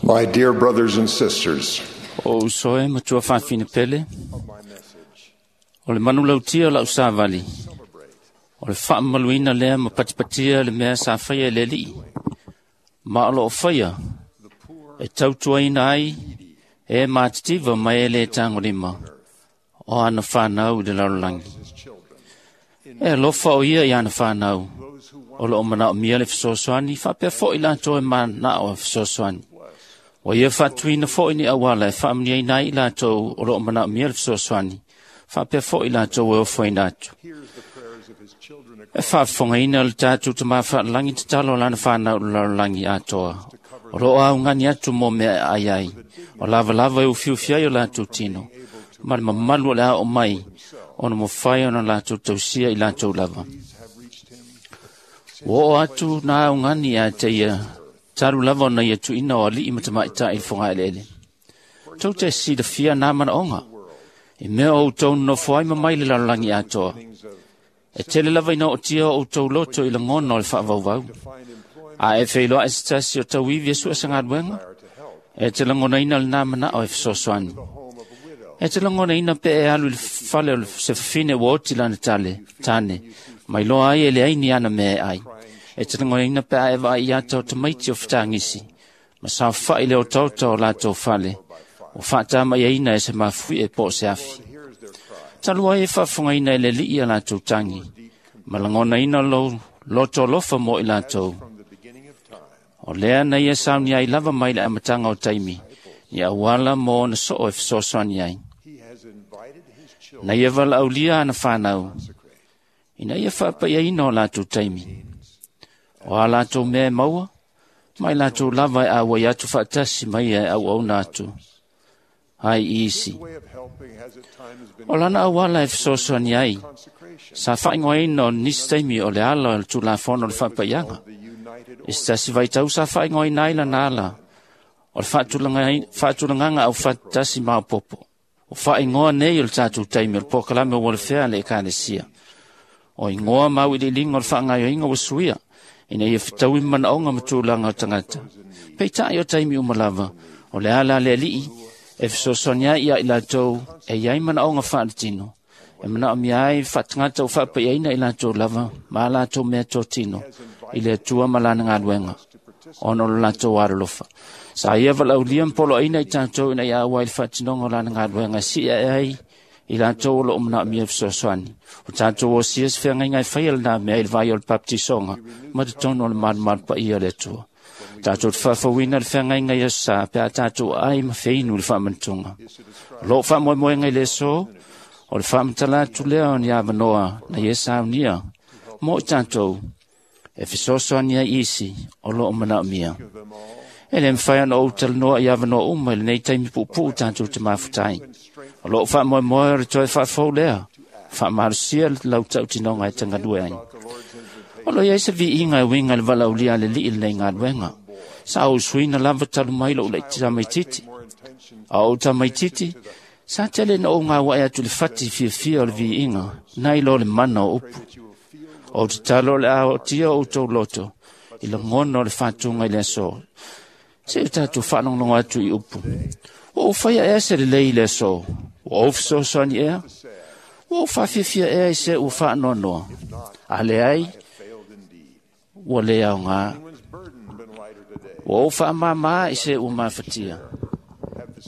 My dear brothers and sisters, O uso e matua fafine pele, o le manulautia o lau savali, o le faamamaluina lea ma patipatia le mea sa faia e le Alii, ma o loo faia e tautuaina ai e matitiva ma e le tagolima o ana whanau i le lalolagi. E alofa o ia i ana whanau, o loo manaomia le fesoasoani, faapea foi latou e manao e fesoasoani. Ua ia faatuina foi ni auala e faamanuiaina ai i latou o loo manaomia le fesoasoani, faapea foi latou e ofoina atu. E faafofogaina le tatou Tama Faalelagi tatalo o lana whanau i le lalolagi atoa. O loo augani atu mo mea e ai ai, o lavalava e ufiufi ai o latou tino, ma le mamalu o le ao mai, ona mawhai ona latou tausia i latou lava. Ua oo atu nā augani ia te ia, talu lava ona ia tuuina o alii ma tamaitai i le fogaeleele. Tou te silafia nā manaoga, i mea o outou nonofo ai ma mai le lalolagi atoa. E tele lava ina ootia o outou loto i lagona o le faavauvau. A e feiloai se tasi o tauivi e sue se galuega, e te lagonaina lenā manao e fesoasoani. E te lagonaina pe e alu i le fale o le se fafine ua oti lana tale, tane, mai loa ai e leai ni ana mea e ai. E te lagonaina pe a e vaai i ata o tamaiti o fetagisi, ma saofai le otaota o latou fale, o faatamaiaina e se mafuie po o se afi. Talu ai e faafofogaina e le Alii a latou tagi, ma lagonaina lou loto alofa mo i latou. O lea na ia sauni ai lava mai le amataga o taimi, ni auala mo ona soo e fesoasoani ai. Na ia valaaulia ana whanau, ina ia faapaiaina o latou taimi. O a latou mea e maua, mai latou lava e auai atu faatasi ma ia e auauna atu ai i isi. O lana auala e fesoasoani ai, sa faaigoaina o nisi taimi o le ala o le Tulafono o le Faapaiaga. I se tasi vaitau sa faaigoaina ai lana ala o le faatulagaga aufaatasi maopoopo. O faaigoa nei o le tatou taimi o le polokalame o Welfare a le Ekalesia. O igoa ma auiliiliga o le faagaoioiga ua suia, ina ia fetaui ma manaoga ma tulaga o tagata. Peitai o taimi uma lava, o le ala a le Alii e fesoasoani ai ia i latou e iai manaoga faaletino, e manaomia ai faatagata o faapaiaina i latou lava ma a latou mea totino i le Atua ma lana galuega, ona o le latou alolofa. Sa ia valaaulia ma poloaina i tatou ina ia auai i le faatinoga o lana galuega e sii ae ai i latou o loo manaomia fesoasoani. O tatou osia se feagaiga e faia lenā mea i le vai o le baptisoga ma totonu o le malumalu paia o le Atua. Tatou te faafouina le feagaiga i aso sa pe a tatou ai ma feinu i le faamanatuga. O loo faamoemoega i le aso, o le faamatala atu lea o ni avanoa na ia saunia mo i tatou e fesoasoani ai isi o loo manaomia. E le mawhai ona ou talanoa i avanoa uma i lenei taimi puupuu tatou te mafutai. O loo faamoemoe o le toe faafou lea, faamalosia le lau tautinoga e tagalue ai. O lo iai se viiga e uiga i le valaaulia a le Alii i lenei galuega. Sa ou suina lava talu mai lou laiti tamaititi. A ou tamaititi, sa tele na ou gauai atu i le fati fiafia o le viiga, nai lo le mana o upu. O tatalo o le aotia o outou loto, i lagona o le faatuga i le aso. Se o tatou faalogologo atu i upu. Ua ou faia ea se lelei i le aso? Ua ou fesoasoani ea? Ua ou faafiafia ea i se ua faanoanoa? A leai, ua le aoga. Ua ou faamāmā i se ua mafatia,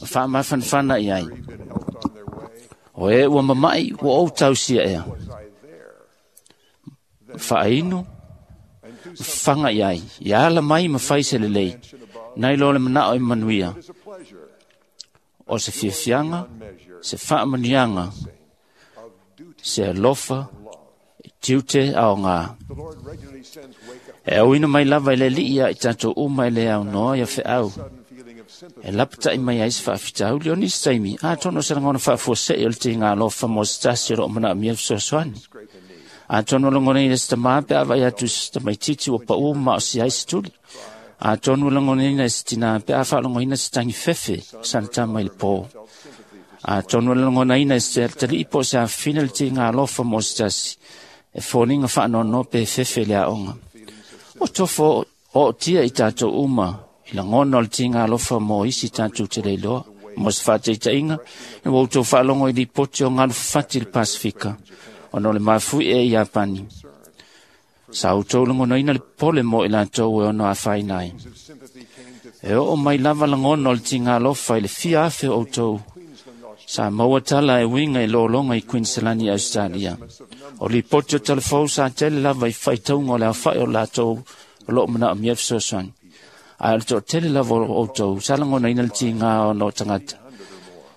ma faamafanafana i ai. O e ua mamai, ua ou tausia ea. Faainu, faga i ai. Ia ala mai ma fai se lelei, nai lo le manao i manuia. O se fiafiaga, se faamanuiaga, se alofa, e tiute aoga. E auina mai lava i le Alii ia i tatou uma e le aunoa ia feau. E lapatai mai ai se faafitauli o nisi taimi, atonu o se lagona faafuasei o le tiga alofa mo se tasi o loo manaomia fesoasoani. Atonu o lagonaina se tamā pe a vaai atu i se tamaititi ua pau ma o si ai se tuli. Atonu o lagonaina se tinā pe a faalogoina se tagi fefe sana tama i le pō. Atonu o lagonaina se talii po o se afafine le tiga alofa mo se tasi, e foliga faanoanoa pe fefe i le aoga. O tofo ootia i tatou uma I lagona o le tiga alofa mo isi tatou te le iloa. Mo se faataitaiga, ina ua outou faalogo i lipoti o galu fafati i le Pasefika, ona o le mafuie i Iapani. Sa outou lagonaina le popole mo i latou e ono afaina ai. E oo mai lava lagona o le tiga alofa i le fia afe o outou sa maua tala e uiga i lologa i Queensland i Australia. O lipoti o talafou sa tele lava i faitauga o le aofai o latou o loo manaomia fesoasoani. Ae o le toatele lava o outou sa lagonaina le tiga ona o tagata.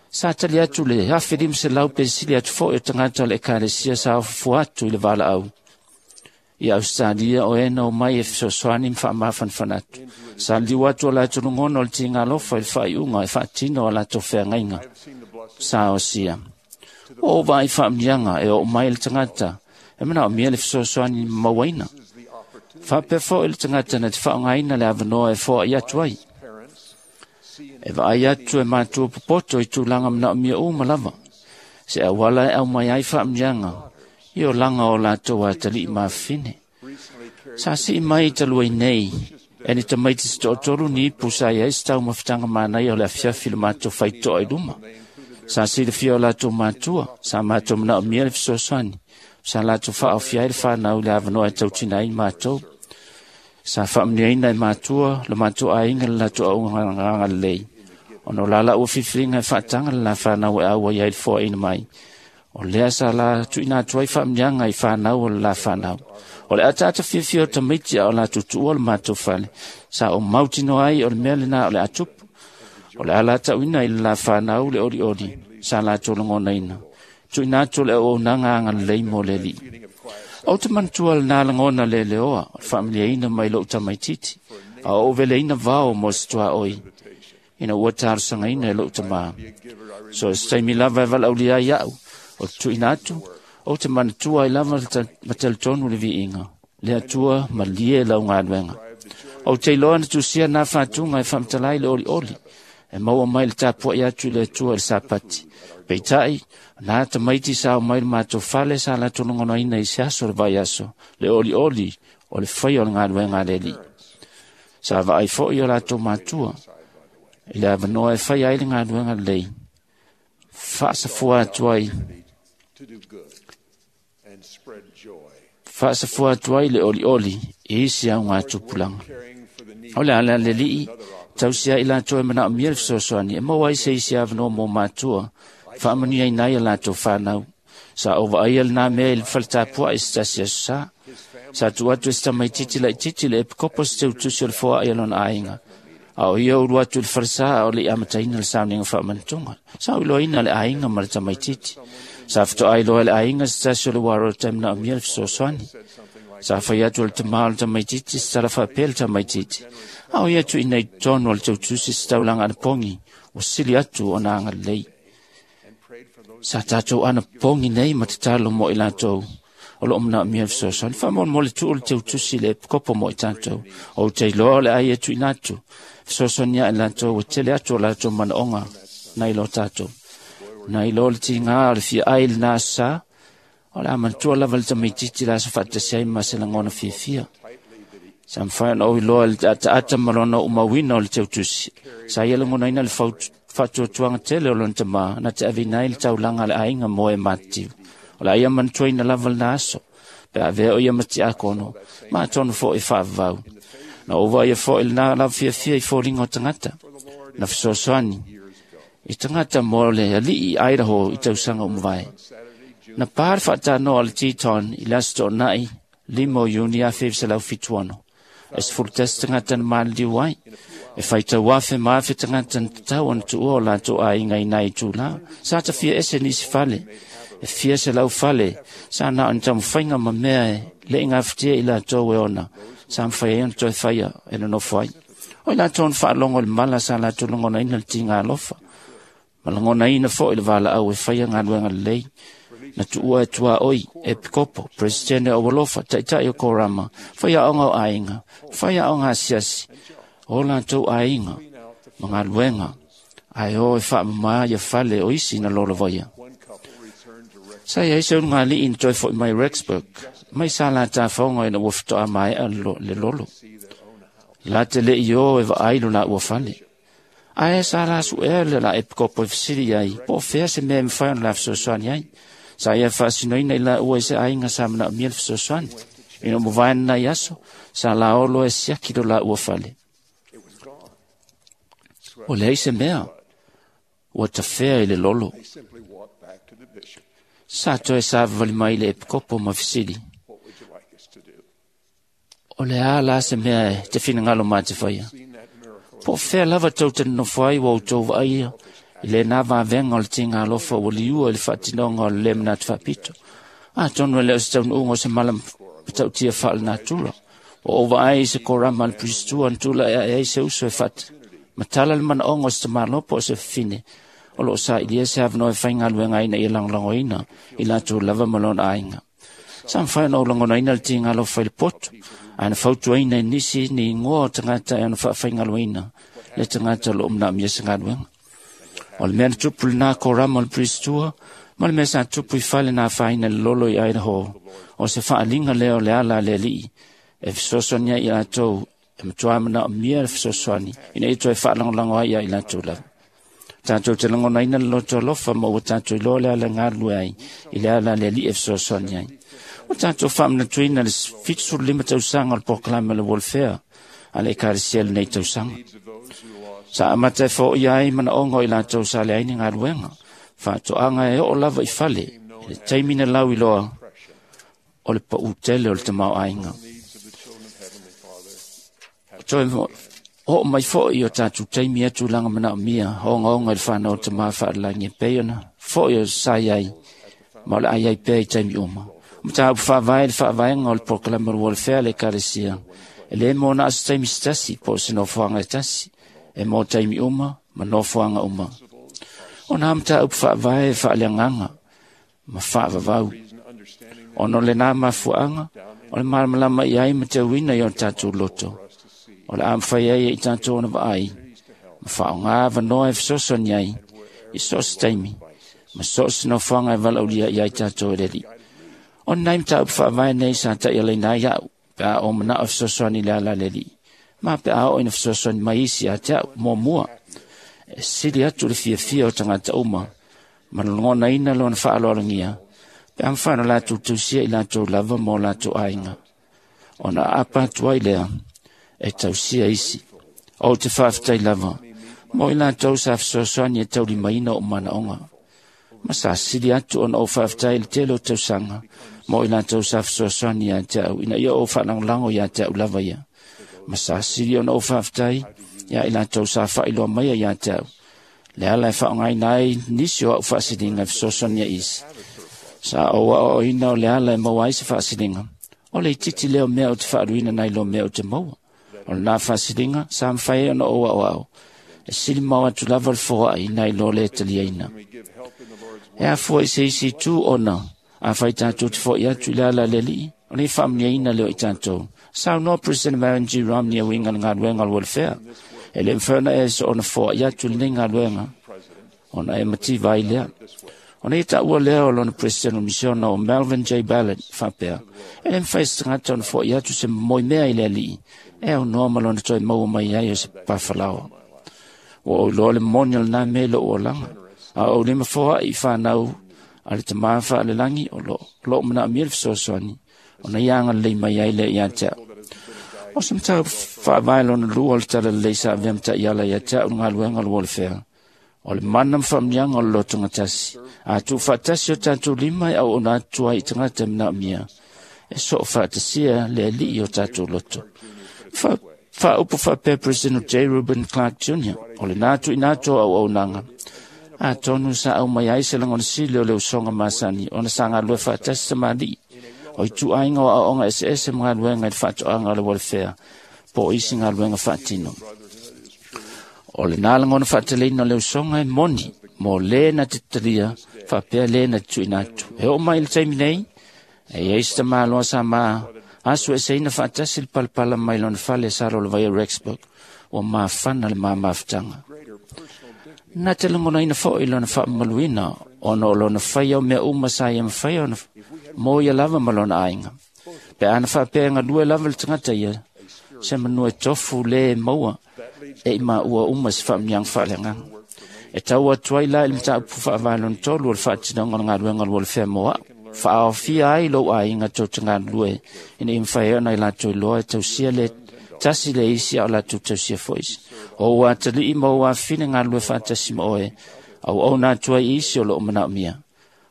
Sa tali atu le 1,500 pe sili atu foi o tagata o le ekalesia sa ofofua atu i le valaau i Australia o e na omai e fesoasoani ma faamafanafana atu. Sa liliu atu o latou lagona o le tiga alofa i le faaiuga e faatino a latou feagaiga sa osia. Ua ou vaai faamanuiaga e oo mai le tagata e manaomia le fesoasoani mauaina. Faapea foi le tagata na te faaaogaina le avanoa e foai atu ai. E vaai atu e matua popoto i tulaga manaomia uma lava. Se auala e aumai ai faamanuiaga i olaga o latou atalii mafafine. Sa sii mai talu ai nei, e ni tamaiti se toatolu ni ipu sa i ai se taumafataga manaia o le afiafi i le matou faitotoa i luma. Sa silafia o latou matua, sa matou manaomia le fesoasoani, sa latou faaofia ai le fanau i le avanoa e tautina ai matou. Sa faamanuiaina e matua le matou aiga le latou auaunaga lelei, ona o la laua filifiliga e faataga le la fanau e auai ai le foaina mai. O lea sa la tuuina atu ai faamanuiaga i fanau o le la fanau. O le ataata fiafia o tamaiti a o latou tuua le matou fale, sa ou mautinoa ai o le mea lena o le a tupu. O le ala tauina i le la fanau le olioli sa latou lagonaina. Tuuina atu le auaunaga agalelei mo le Alii. Ou te manatua lena lagona leleoa o le faamanuiaina mai lou tamaitiiti, a o ou veleina vao mo se tuaoi, ina ua talosagaina e lou tamā. So se taimi lava e valaaulia ai au, o te tuuina atu, ou te manatua ai lava ma talitonu le viiga, le Atua malie lau galuega. Ou te iloa na tusia nā fatuga e faamatala ai le olioli, e maua mai le tapuai atu i le Atua i le Sapati. Peitai, nā tamaiti sa o mai le matou fale sa latou lagonaina i se aso o le vaiaso, le olioli o le faia o le galuega a le Alii. Sa vaai foi o latou matua i le avanoa e faia ai le galuega lelei, faasafua atu ai faasafua atu ai le olioli i isi augatupulaga. O le ala le Alii, tausia ai latou e manaomia le fesoasoani, e maua ai se isi avanoa mo matua, faamanuiaina ai a latou fanau. Sa ou vaaia lena mea i le faletapuai i se tasi aso sa. Sa tuu atu e se tamaitiiti laitiiti le epikopo se teutusi o le foai a lona aiga. A o ia ulu atu i le falesa a o le i amataina le sauniga faamanatuga. Sa ou iloaina le aiga ma le tamaitiiti. Sa fetoai loa le aiga se tasi o le uaro o le taimi manaomia le fesoasoani. Sa fai atu e le tamā o le tamaitiiti se tala faapea le tamaitiiti. A o ia tuuina i totonu o le teutusi se taulaga anapogi, ua sili atu ona agalelei. Sa tatou anapogi nei ma tatalo mo i latou o loo manaomia le fesoasoani. Faamolemole tuu le teutusi le epikopo mo i tatou. Ou te iloa o le ai e tuuina atu, fesoasoani ia i latou ua tele atu o latou manaoga nai lo tatou. Nai lo le tiga o le fia ai lena aso sa, o le a manatua lava le tamaitiiti le aso faatasi ai ma se lagona fiafia. Sa mafai ona ou iloa i le ataata ma lona uumauina o le teutusi. Sa ia lagonaina le faatuatuaga tele o lona tamā na te aveina ai le taulaga a le aiga mo e matitiu. O le a ia manatuaina lava lena aso, pe avea o ia ma tiakono, ma atonu foi e faavavau. Na ou vaaia foi lena lava fiafia i foliga o tagata, na fesoasoani i tagata mo le alii i Idaho i tausaga o mavae. Na pā le faatanoa o le Teton i le aso toonai 5 o Iuni 1976. E 11 tagata na maliliu ai. E faitau afe ma afe tagata na tatau ona tuua o latou aiga i nai itulā. Sa tafia ese nisi fale. E fia selau fale sa na o ni taumafaiga ma mea e le i gafatia i latou e ona. Sa mafai ai ona toe faia e nonofo ai. O i latou na faalogo i le mala sa latou lagonaina le tiga alofa. Ma lagonaina foi le valaau e faia galuega lelei. Na tuua e tuaoi, epikopo, presidente o alofa, taitai o korama, faiaoga o aiga, faiaoga asiasi, o latou aiga, ma galuega, ae o e faamamā ia fale o isi na lolovaia. Sa iai se ulugalii na toe foi mai Rexburg, mai sa la tafaoga ina ua fetoa maea le lolo. La te le i o e vaai lo la ua fale. Ae sa la suea le la epikopo e fesili ai, po o fea se mea e mafai ona la fesoasoani ai. Sa ia faasinoina i la ua i se aiga sa manaomia le fesoasoani. Ina ua mavae lenei aso, sa laolo e siaki lo la ua fale. Ua leai se mea, ua tafea i le lolo. Sa toe savavali mai le epikopo ma fesili, o le a la se mea e te finagalo ma te faia? Po o fea lava tou te nonofo ai ua outou vaaia i lena vavenga o le tigalofa ua liua i le faatinoga o le lē manatu faapito. Atonu e le o se taunuuga o se mala matautia faalenatura. Ua ou vaai i se korama a le Pusitua na tula'i ae ai se uso e faamatala le manaoga o se tamāloa po o se fafine o loo sailia se avanoa e faigaluega ai ina ia lagolagoina i latou lava ma lona aiga. Sa mafai ona ou lagonaina le tigalofa i le poto, ae na fautuaina e nisi ni igoa o tagata e ona faafaigalueina le tagata o loo manaomia se galuega. O le mea na tupu lenā korama o le Pusitua ma le mea sa tupu i fale na afaina i le lolo i Idaho, o se faaliga lea o le ala a le Alii e fesoasoani ai i latou e matuā manaomia le fesoasoani ina ia toe faalagolago ai ia i latou lava. Tatou te lagonaina le loto alofa ma ua tatou iloa le ala e galulue ai i le ala a le Alii e fesoasoani ai. Ua tatou faamanatuina le 75 tausaga o le polokalame o le welfare a le Ekalesia i lenei tausaga. Sa amata e foia ai manaoga o i latou sa leai ni galuega, faatoaga e oo lava i fale i le taimi na lauiloa o le paū tele o le tamaoaiga. Toe oo mai foi o tatou taimi ia tulaga manaomia ogaoga i le fanau o tamā faalelagi e pei ona foi o sa i ai ma o le a i ai pea i taimi uma. O mataupu faavae le faavaega o le polokalame o le welfare a le Ekalesia, e lē mo na o se taimi se tasi po o se nofoaga e tasi, e mo taimi uma ma nofoaga uma. O nā mataupu faavae e faaleagaga ma faavavau. Ona o lenā mafuaaga, o le malamalama i ai ma teuina i o tatou loto, o le a mafai ai e i tatou ona vaai ma faaaogā avanoa e fesoasoani ai i so o se taimi ma so o se nofoaga e valaaulia i ai tatou e le Alii. O lenei mataupu faavae nei sa taialaina ai a'u pe a ou manao e fesoasoani i le ala a le Alii, ma pe a oo ina fesoasoani mai isi ia te a'u. Muamua, e sili atu le fiafia o tagata uma ma lagonaina lona faaaloalogia pe a mafai ona latou tausia i latou lava ma o latou aiga, ona aapa atu ai lea e tausia isi. Ou te faafetai lava mo i latou sa fesoasoani e taulimaina o'u manaoga, ma sa sili atu ona ou faafetai i le tele o tausaga mo i latou sa fesoasoani ia te a'u ina ia ou faalagolago ia te a'u lava ia, ma sa sili ona ou faafetai ia i latou sa faailoa maia ia te a'u le ala e faaaogaina ai nisi o a'u faasiliga e fesoasoani ai isi. Sa ou aoaoina o le ala e maua ai se faasiliga, o le itiiti lea o mea ou te faaluina nai lo mea ou te maua. O lenā faasiliga sa mafai ai ona ou aoao e sili mao atu lava le foai nai lo le taliaina. E afua i se isi itu ona afai tatou te fo'i atu i le ala a le Alii, o le faamuniaina lea o i tatou. Saunoa President Marion G. Romney e uiga i le galuega o le welfare, e le mafai ona e soona foai atu i lenei galuega ona e mativa ai lea. Ona ia taua lea o lona President o Misiona o Melvin J. Ballard faapea, e le mafai se tagata ona foai atu se momoi mea i le Alii e aunoa ma lona toe maua mai ai o se papafalaoa. Ua ou iloa le moni o lenā mea i lou olaga, a ou lima foai i fanau a le tamā faalelagi o loo manaomia le fesoasoani ona ia agalelei mai ai lea ia te a'u. O se mataupu faavae lona lua o le talalelei sa avea ma taiala ia te a'u le galuega o le welfare, o le mana ma faamanuiaga o le lotogatasi. A tuufaatasi o tatou lima e auauna atu ai i tagata e manaomia, e soo faatasia le Alii o tatou loto. Faaupu faapea President J. Reuben Clark Jr., o lenā tuuina atu o auaunaga, atonu sa aumai ai se lagona sili o le usoga masani ona sa galulue faatasi tamalii o ituaiga o aoaoga eseese ma galuega i le faatoaga o le welfare po o isi galuega faatino. O lenā lagona faateleina o le usoga e moni mo lē na te talia faapea lē na te tuuina atu. E oo mai i le taimi nei, e i ai se tamāloa sa ma asu eseina faatasi le palapala mai lona fale sa lolovaia Rexburg, ua mafana le mamafutaga. Na te lagonaina foi lona faamamaluina ona o lona faia o mea uma sa ia mafai ona mo ia lava ma lona aiga. Pe ana faapea e galue lava le tagata ia, Se manua e tofu le maua e i maua uma se faamanuiaga faaleagaga. E tau atu ai la i le mataupu faavae lona tolu o le faatinoga o le galuega o le welfare mo a'u. Faaofia ai lou aiga tou te galulue ina ia mafai ai ona i latou iloa e tausia le tasi le isi a o latou tausia foi isi. O ou atalii ma ou afafine galulue faatasi ma oe, auauna atu ai i isi o loo manaomia.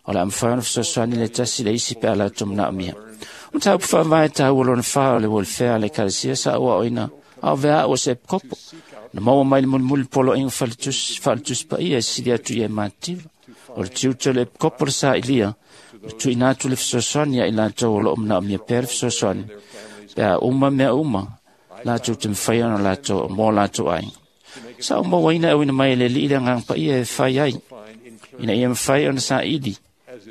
O le a mafai ona fesoasoani le tasi le isi pe a latou manaomia. O mataupu faavae taua lona fa o le welfare a le Ekalesia sa ou aoina a o vea au o se epikopo. Na maua mai le mulimuli poloaiga faaletusi paia e sili atu ia e mativa. O le tiute o le epikopo le sailia, o tuuina atu le fesoasoani ia i latou o loo manaomia pea le fesoasoani, pe a uma mea uma, latou te mafai ona latou mo latou aiga. Sa ou mauaina e auina mai e le Alii le agaga paia e fai ai, ina ia mafai ona saili,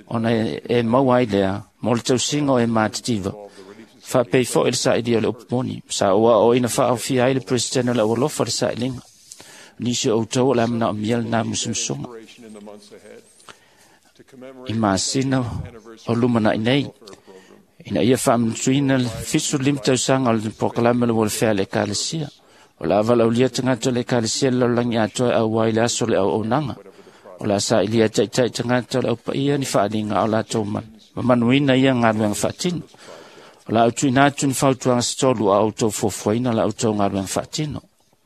ona e maua ai lea mo le tausiga o e matitiva. Faapei foi le sailia o le upu moni. Sa ou aoaoina faaofia ai le Peresetene o le Aualofa le sailiga. Nisi o outou o le a manaomia lena musumusuga. I masina o lumanai nei, ina ia faamanatuina le 75 tausaga o le polokalame o le welfare a le Ekalesia. O le a valaaulia tagata o le Ekalesia le lalolagi atoa e auai le aso o le auaunaga. O le a sailia e taitai tagata o le aupaia ni faaaliga a o latou mamanuina ia galuega faatino. O le a tuuina atu ni fautuaga se tolu a outou fuafuaina la outou galuega faatino.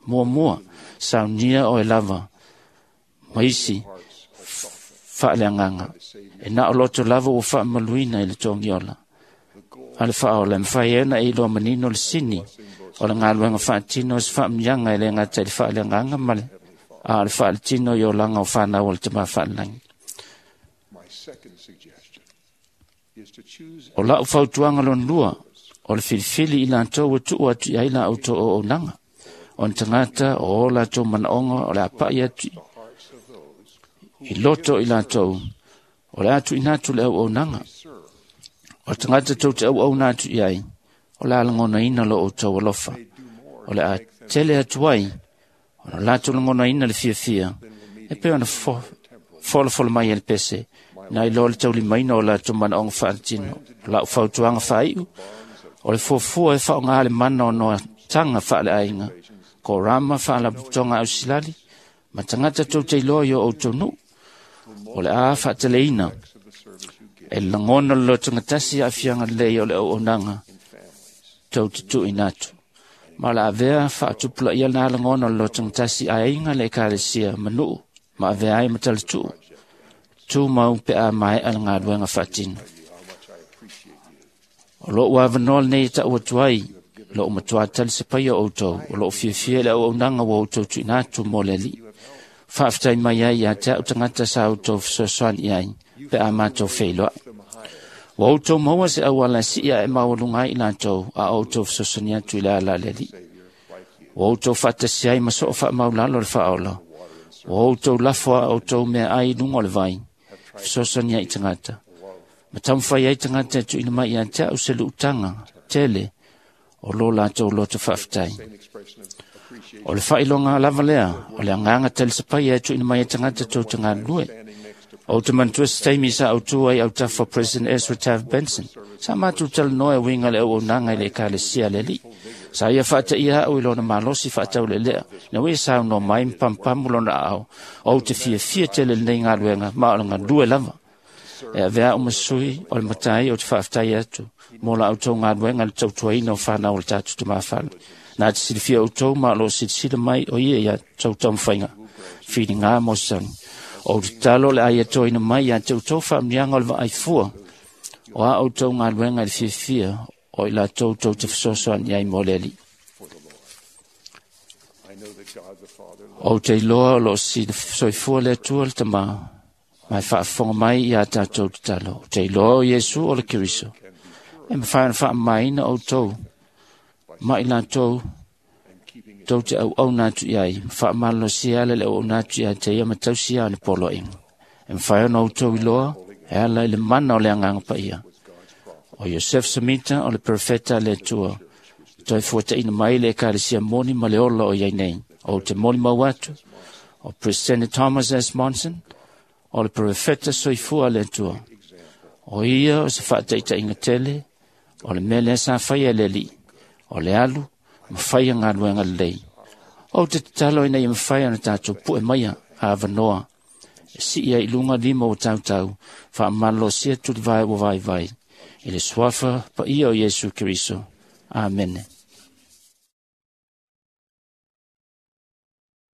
Muamua, saunia oe lava ma isi faaleagaga. E na o loto lava ua faamaluina i le togiola. A le faaola, e mafai ai ona e iloa manino le sini o le galuega faatino o se faamanuiaga e le gata i le faaleagaga ma le a o le faaletino i olaga o fanau o le Tama Faalelagi. My second suggestion is to choose O lau fautuaga lona lua, o le filifili i latou ua tuu atu i ai la outou auaunaga. O ni tagata o o latou manaoga o le a pa'i atu hearts of those i loto i latou, o le a tuuina atu le auaunaga. O le tagata tou te auauna atu i ai, o le a lagonaina lo outou alofa. O le a tele atu ai, ona latou lagonaina le fiafia, e pei ona folafolo mai e le pese, na iloa le taulimaina o latou manaoga faaletino. O lau fautuaga faaiu, o le fuafua e faaaoga le mana o noataga faaleaiga, korama faalapotopotoga ausilali, ma tagata tou te iloa i o outou nuu. O le a faateleina of the service you give e lagona le lotogatasi aafiaga lelei o le auaunaga tou te tuuina atu. Ma o le a avea faatupulaia lena lagona o le lotogatasi aiga le Ekalesia ma nuu ma avea ai ma talatuu. Tumau pe a maea le galuega faatino. how much I appreciate you. O lou avanoa lenei e tau atu ai, lou matuā talisapaia o outou, o lou fiafia i le auaunaga ua outou tuuina atu mo le Alii. Faafetai mai ai ia te au tagata sa outou fesoasoani i ai, pe a matou feiloai. Ua outou maua se auala e sii ae maualuga ai i latou, a outou fesoasoani atu i le ala a le Alii. Ua outou faatasi ai ma soo faamaulalo le faaola. Ua outou lafo a outou meaai i luga o le vai, fesoasoani ai i tagata. Ma taumafai ai tagata e tuuina mai ia te au se luutaga tele o lo latou loto faafetai. Same expression of appreciation O le faailoga lava lea, o le agaga talisapaia e tuuina mai e tagata tou te galulue. standing next to O te manatua se taimi sa autu ai autafa President Ezra Taft Benson. Sa matou talanoa e uiga le auaunaga i le Ekalesia a le Alii. Sa ia faataia au i lona malosi faataulelea, ina ua ia saunoa mai ma pamupamu lona aao. O te fiafia tele lenei galuega, ma o le galue lava. E avea au ma sui o le matai o te faafetai atu mo la outou galuega i le tautuaina o fanau o le tatou tamafale. Na te silafia outou ma o loo silasila mai o ia ia tou taumafaiga. Filiga mo se sagi. O te tatalo le a ia toina mai ia te outou faamanuiaga o le vaaifua o a outou galuega i le fiafia o i latou tou te fesoasoani ai mo le Alii. for the Lord. I know that God the Father loves O te iloa o loo soifua le Atua le Tamā, ma e faafofoga mai ia tatou tatalo. O te iloa o Iesu o le Keriso. E mafai ona faamamaina outou ma i latou and keeping his tou te auauna atu i ai, ma faamalolosia ala le auauna atu ia te ia ma tausia ana poloaiga. E mafai ona outou iloa e ala i le mana o le agaga paia. was God's prophet O Iosef Samita o le profeta a le Atua, toe fuataina mai le Ekalesia moni ma le ola o iai nei. O te molimau atu, o President Thomas S. Monson, o le profeta soifua a le Atua. O ia o se faataitaiga tele, o le mea lea sa faia e le Alii, o le alu Ma faia galuega lelei. Ou te tatalo ina ia mafai ona tatou pu'e maia avanoa e si'i ai i luga lima ua tautau faamalolosia tulivae ua vaivai i le suafa paia o Iesu Keriso. Amene.